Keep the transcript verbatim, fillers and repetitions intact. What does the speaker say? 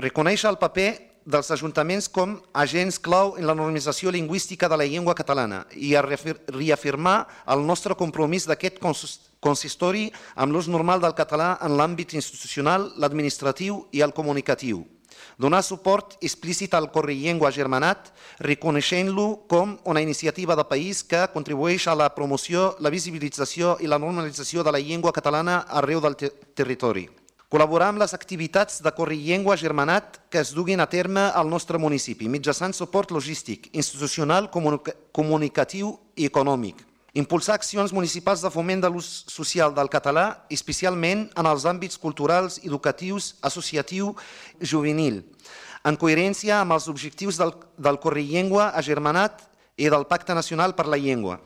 Reconèixer el paper dels ajuntaments com a agents clau en la normalització lingüística de la llengua catalana i a reafirmar el nostre compromís d'aquest consistori amb l'ús normal del català en l'àmbit institucional, l'administratiu i el comunicatiu. Donar suport explícit al Correllengua Agermanat, reconeixent-lo com una iniciativa de país que contribueix a la promoció, la visibilització i la normalització de la llengua catalana arreu del territori. Col·laborar amb les activitats de Correllengua Agermanat que es duguin a terme al nostre municipi, mitjançant suport logístic, institucional, comunicatiu i econòmic. Impulsar accions municipals de foment de l'ús social del català, especialment en els àmbits culturals, educatius, associatiu i juvenil, en coherència amb els objectius del Correllengua Agermanat i del Pacte Nacional per la Llengua.